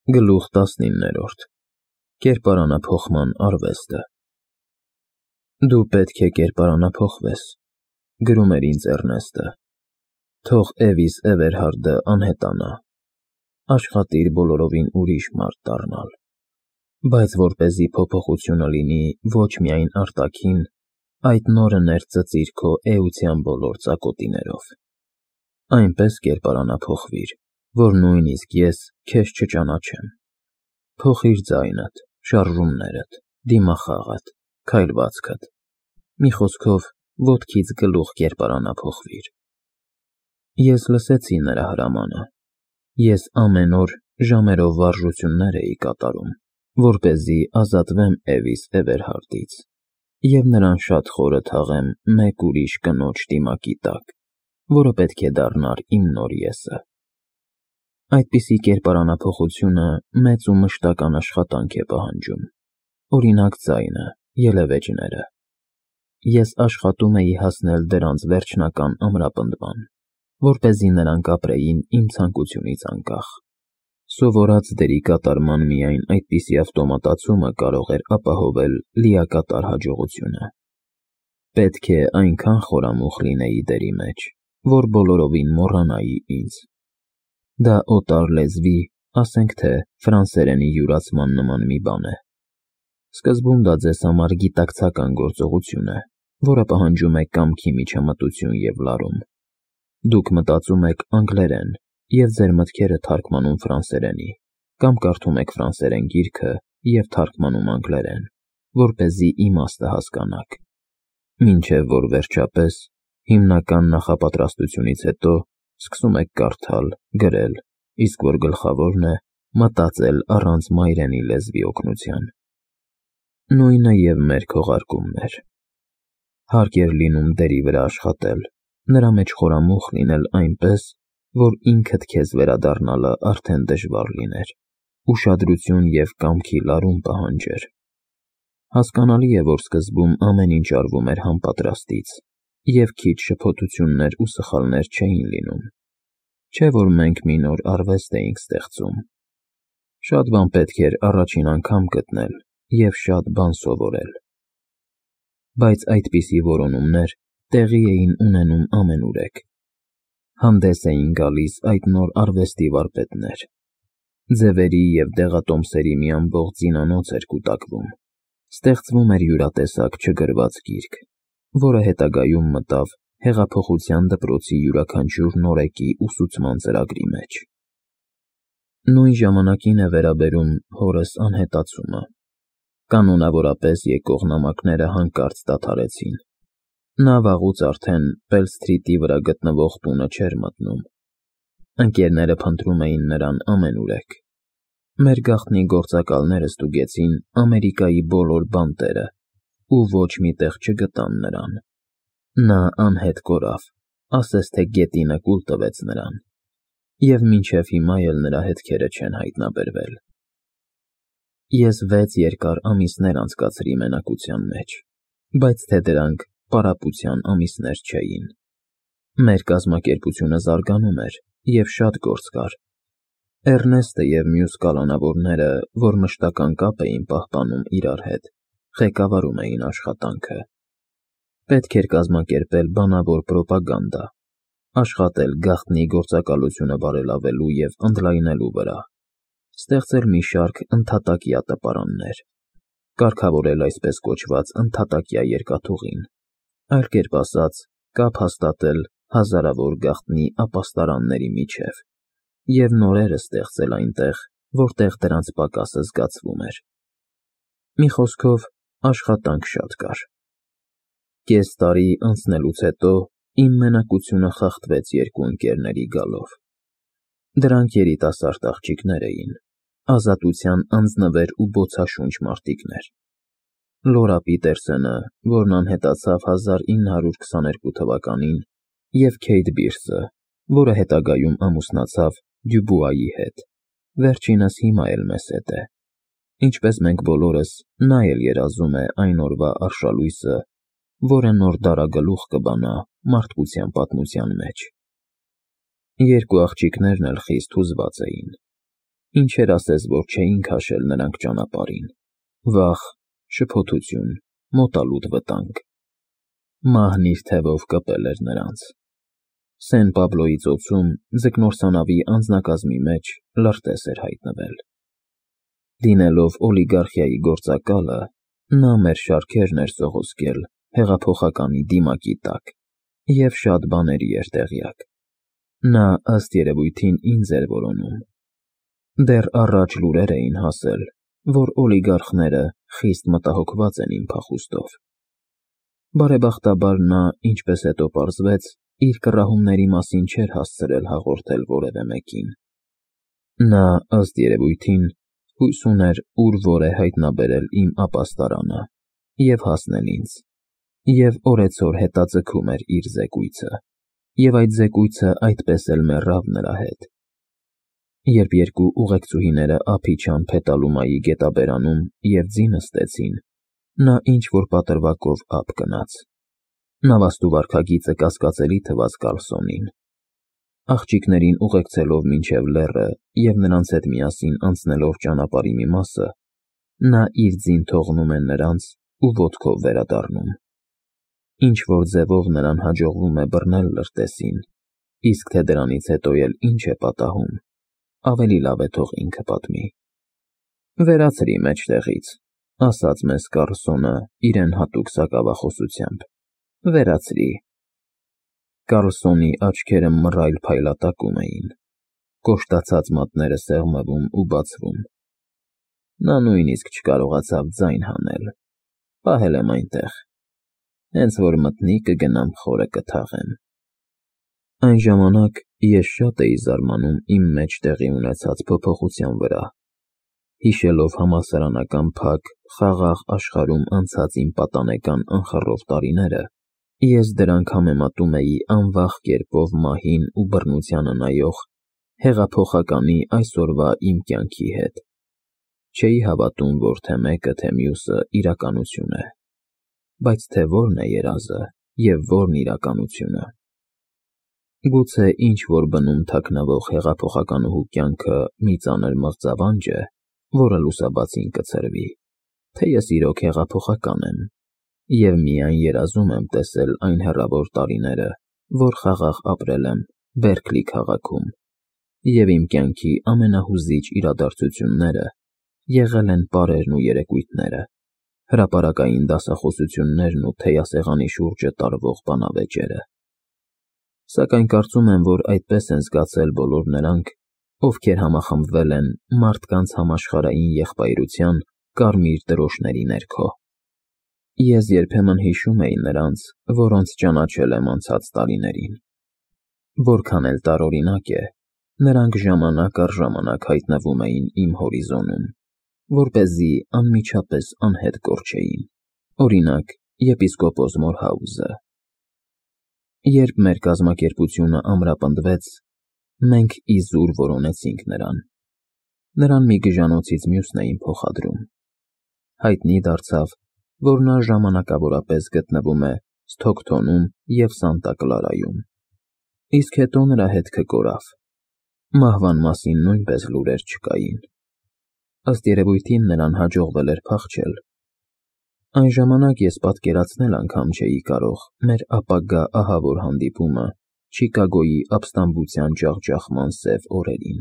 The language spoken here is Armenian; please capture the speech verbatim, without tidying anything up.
Գլուխ տասնիններորդ Կերպարանափոխման արվեստը Դու պետք է կերպարանափոխվես, գրում էր ինձ Էռնեստը, թող Էվիս Էվերհարդը անհետանա, աշխատիր բոլորովին ուրիշ մարդ դառնալ, բայց որպեսզի փոփոխությունը լինի ոչ միայն արտաքին, այդ նորը ներծծիր քո էության բոլոր ծակոտիներով, այնպես կերպարանափոխվիր, որ նույնիսկ ես քեզ չճանաչեմ, փոխիր ձայնդ, շարժումներդ, դիմախաղդ, քայլվածքդ, մի խոսքով ոտքից գլուխ կերպարանափոխվիր։ Ես լսեցի նրա հրամանը, ես ամեն օր ժամերով վարժություններ էի կատարում, որպեսզի ազատվեմ Էվիս Էվերհարդից և նրան շատ խորը թաղեմ մեկ ուրիշ կնոջ դիմակի տակ, որը պետք է դառնար իմ նոր եսը։ Այդպիսի կերպարանափոխությունը մեծ ու մշտական աշխատանք է պահանջում, օրինակ ձայնը, ելևէջները։ Ես աշխատում էի հասնել դրանց վերջնական ամրապնդման, որպեսզի նրանք ապրեին իմ ցանկությունից անկախ։ Սովորած դերի կատարման միայն այդպիսի ավտոմատացումը կարող էր ապահովել լիակատար հաջողությունը։ Պետք է այնքան խորամուխ լինեի դերի մեջ, որ բոլորովին մոռանայի ինձ։ Դա օտար լեզվի, ասենք թե ֆրանսերենի յուրացման նման մի բան է։ Սկզբում դա ձեզ համար գիտակցական գործողություն է, որը պահանջում է կամքի միջամտություն և լարում։ Դուք մտածում եք անգլերեն և ձեր մտքերը թարգմանում ֆրանսերենի, կամ կարդում եք ֆրանսերեն գիրքը և թարգմանում անգլերեն, որպեսզի իմաստը հասկանաք, մինչև որ վերջապես, հիմնական նախապատրաստությունից հետո, սկսում եք կարդալ, գրել, իսկ որ գլխավորն է, մտածել առանց մայրենի լեզվի օգնության։ Նույնը և մեր քողարկումն էր։ Հարկ էր լինում դերի վրա աշխատել, նրա մեջ խորամուխ լինել այնպես, որ ինքդ քեզ վերադառնալը արդեն դժվար լիներ, ուշադրություն և կամքի լարում պահանջեր։ Հասկանալի է, որ սկզբում ամեն ինչ արվում էր հանպատրաստից, և քիչ շփոթություններ ու սխալներ չէին լինում, չէ որ մենք մի նոր արվեստ էինք ստեղծում։ Շատ բան պետք էր առաջին անգամ գտնել և շատ բան սովորել։ Բայց այդպիսի որոնումներ տեղի էին ունենում ամենուրեք։ Հանդես էին գալիս այդ նոր արվեստի վարպետներ։ Ձևերի և դեղատոմսերի մի ամբողջ զինանոց էր կուտակվում, ստեղծվում էր յուրատեսակ չգրված գիրք, որը հետագայում մտավ հեղափոխության դպրոցի յուրաքանչյուր նորեկի ուսուցման ծրագրի մեջ։ Նույն ժամանակին է վերաբերում հորս անհետացումը։ Կանոնավորապես եկող նամակները հանկարծ դադարեցին։ Նա վաղուց արդեն Պել Սթրիթի վրա գտնվող տունը չէր մտնում։ Ընկերները փնտրում էին նրան ամենուրեք։ Մեր գաղտնի գործակալները ստուգեցին Ամերիկայի բոլոր բանտերը ու ոչ մի տեղ չգտան նրան։ Նա անհետ կորավ, ասես թե գետինը կուլ տվեց նրան, և մինչև հիմա էլ նրա հետքերը չեն հայտնաբերվել։ Ես վեց երկար ամիսներ անցկացրի մենակության մեջ, բայց թե դրանք պարապության ամիսներ չէին։ Մեր կազմակերպությունը զարգանում էր, և շատ գործ կար։ Էռնեստը և մյուս կալանավորները, որ մշտական կապ էին պահպանում իրար հետ, ղեկավարում էին աշխատանքը։ Պետք էր կազմակերպել բանավոր պրոպագանդա, աշխատել գաղտնի գործակալությունը բարելավելու և ընդլայնելու վրա, ստեղծել մի շարք ընդհատակյա տպարաններ, կարգավորել այսպես կոչված ընդհատակյա երկաթուղին, այլ կերպ ասած, կապ հաստատել հազարավոր գաղտնի ապաստարանների միջև և նորերը ստեղծել այնտեղ, որտեղ դրանց պակասը զգացվում էր։ Մի խոսքով, աշխատանք շատ կար։ Կես տարի անցնելուց հետո իմ մենակությունը խախտվեց երկու ընկերների գալով։ Դրանք երիտասարդ աղջիկներ էին, ազատության անձնվեր ու բոցաշունչ մարտիկներ։ Լորա Պիտերսենը, որն անհետացավ հազար ինը հարյուր քսաներկու թվականին, և Քեյթ Բիրսը, որը հետագայում ամուսնացավ Դյուբուայի հետ, վերջինս հիմա էլ մեզ հետ է։ Ինչպես մենք բոլորս, նա էլ երազում է այն օրվա արշալույսը, որը նոր դարագլուխ կբանա մարդկության պատմության մեջ։ Երկու աղջիկներն էլ խիստ հուզված էին։ Ինչեր ասես, որ չէին քաշել նրանք ճանապարհին. վախ, շփոթություն, մոտալուտ վտանգ։ Մահն իր թևով կպել էր նրանց։ Սեն Պաբլոյի ծոցում ձկնորսանավի անձնակազմի մեջ լրտես էր հայտնվել։ Լինելով օլիգարխիայի գործակալը, նա մեր շարքերն էր սողոսկել հեղափոխականի դիմակի տակ և շատ բաների էր տեղյակ։ Նա ըստ երևույթին ինձ էր որոնում։ Դեռ առաջ լուրեր էին հասել, որ օլիգարխները խիստ մտահոգված են իմ փախուստով։ Բարեբախտաբար նա, ինչպես հետո պարզվեց, իր կռահումների մասին չէր հասցրել հաղորդել որևէ մեկին։ Նա, ըստ երևույթին, հույս ուներ ուր որ է հայտնաբերել իմ ապաստարանը և հասնել ինձ, և օրեցօր հետաձգում էր իր զեկույցը, և այդ զեկույցը այդպես էլ մեռավ նրա հետ։ Երբ երկու ուղեկցուհիները ափ իջան Փետալումայի գետաբերանում և ձի նստեցին, նա ինչ-որ պատրվակով ափ գնաց։ Նավաստու վարքագիծը կասկածելի թվաց Կարլսոնին։ Աղջիկներին ուղեկցելով մինչև լեռը և նրանց հետ միասին անցնելով ճանապարհի մի մասը, նա իր ձին թողնում է նրանց ու ոտքով վերադառնում։ Ինչ-որ ձևով նրան հաջողվում է բռնել լրտեսին, իսկ թե դրանից հետո էլ ինչ է պատահում, ավելի լավ է թող ինքը պատմի։ «Վերացրի մեջտեղից», ասաց մեզ Կարլսոնը իրեն հատուկ սակավախոսությամբ, «վերացրի»։ Կարլսոնի աչքերը մռայլ փայլատակում էին, կոշտացած մատները սեղմվում ու բացվում։ Նա նույնիսկ չկարողացավ ձայն հանել։ Պահել եմ այնտեղ, հենց որ մտնի կգնամ խորը կթաղեմ։ Այն ժամանակ ես շատ էի զարմանում իմ մեջ տեղի ունեցած փոփոխության վրա։ Հիշելով համալսարանական փակ, խաղաղ աշխարհում անցած իմ պատանեկան անխռով տարիները, ես դրանք համեմատում էի անվախ կերպով մահին ու բռնությանը նայող հեղափոխականի այսօրվա իմ կյանքի հետ։ Չէի հավատում, որ թե մեկը, թե մյուսը իրականություն է, բայց թե որն է երազը և որն իրականությունը։ Գուցե ինչ-որ բնում թաքնվող հեղափոխականուհու կյանքը մի ծանր մղձավանջ է, որը լուսաբացին կցրվի, թե ես իրոք հեղափոխական եմ, և միայն երազում եմ տեսել այն հեռավոր տարիները, որ խաղաղ ապրել եմ Բերքլի քաղաքում, և իմ կյանքի ամենահուզիչ իրադարձությունները եղել են պարերն ու երեկույթները, հրապարակային դասախոսություններն ու թեյասեղանի շուրջը տարվող բանավեճերը։ Սակայն կարծում եմ, որ այդպես են զգացել բոլոր նրանք, ովքեր համախմբվել են մարդկանց համաշխարհային եղբայրության կարմիր դրոշների ներքո։ Ես երբեմն հիշում էի նրանց, որոնց ճանաչել եմ անցած տարիներին։ Որքան էլ տարօրինակ է, նրանք ժամանակ առ ժամանակ հայտնվում էին իմ հորիզոնում, որպեսզի անմիջապես անհետ կորչեին, օրինակ, եպիսկոպոս Մորհաուզը։ Երբ մեր կազմակերպությունը ամրապնդվեց, մենք իզուր որոնեցինք նրան։ Նրան մի գժանոցից մյուսն էին փոխադրում։ Հայտնի դարձավ, որ նա ժամանակավորապես գտնվում է Սթոքթոնում և Սանտա Կլարայում, իսկ հետո նրա հետքը կորավ։ Մահվան մասին նույնպես լուրեր չկային։ Ըստ երևույթին նրան հաջողվել էր փախչել։ Այն ժամանակ ես պատկերացնել անգամ չէի կարող մեր ապագա ահավոր հանդիպումը Չիկագոյի ապստամբության ջախջախման սև օրերին։